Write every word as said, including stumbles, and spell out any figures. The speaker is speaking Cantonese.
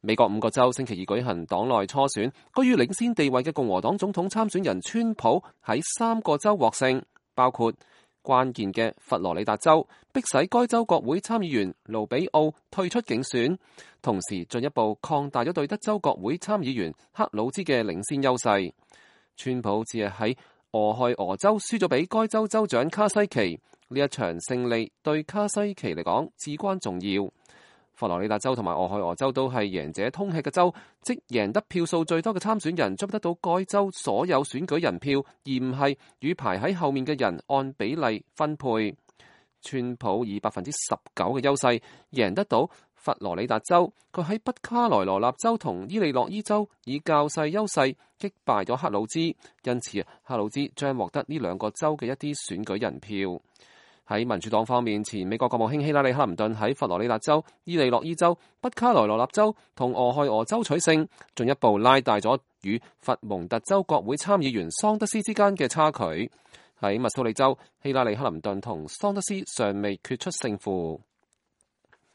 美國五個州星期二舉行黨內初選，居於領先地位嘅共和黨總統參選人川普喺三個州獲勝，包括關鍵嘅佛羅里達州，迫使該州國會參議員盧比奧退出競選，同時進一步擴大咗對德州國會參議員克魯茲嘅領先優勢。川普只係喺俄亥俄州輸咗俾該州州長卡西奇，呢一場勝利對卡西奇嚟講至關重要。佛羅里達州同埋俄亥俄州都係贏者通吃嘅州，即贏得票數最多嘅參選人將得到該州所有選舉人票，而唔係與排喺後面嘅人按比例分配。川普以百分之十九嘅優勢贏得到佛羅里達州，佢喺北卡羅來納州同伊利諾伊州以較細優勢擊敗咗克魯茲，因此克魯茲將獲得呢兩個州嘅一啲選舉人票。喺民主黨方面，前美國國務卿希拉里克林頓喺佛羅里達州、伊利諾伊州、北卡羅來納州同俄亥俄州取勝，進一步拉大咗與佛蒙特州國會參議員桑德斯之間嘅差距。喺密蘇里州，希拉里克林頓同桑德斯尚未決出勝負。